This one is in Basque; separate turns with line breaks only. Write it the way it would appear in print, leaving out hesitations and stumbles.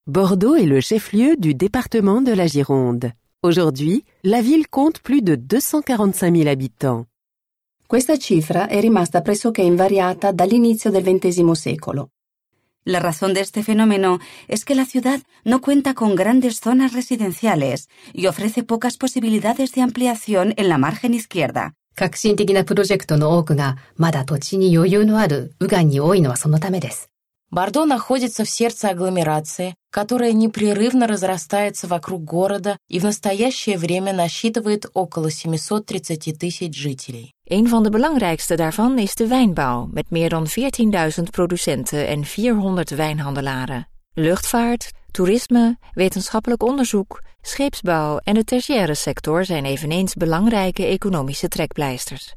Bordeaux est le chef-lieu du département de la Gironde. Aujourd'hui, la ville compte plus de 245 000 habitants.
Questa cifra è rimasta pressoché invariata dall'inizio del XX secolo.
La razón de este fenómeno es que la ciudad no cuenta con grandes zonas residenciales y ofrece pocas posibilidades de ampliación en la margen izquierda.
革新的なプロジェクトの多くがまだ土地に余裕のある右岸に多いのはそのためです。
Бордо находится в сердце агломерации, которая непрерывно разрастается вокруг города и в настоящее время насчитывает около 730 тысяч жителей.
Een van de belangrijkste daarvan is de wijnbouw, met meer dan 14.000 producenten en 400 wijnhandelaren. Luchtvaart, toerisme, wetenschappelijk onderzoek, scheepsbouw en de tertiaire sector zijn eveneens belangrijke economische trekpleisters.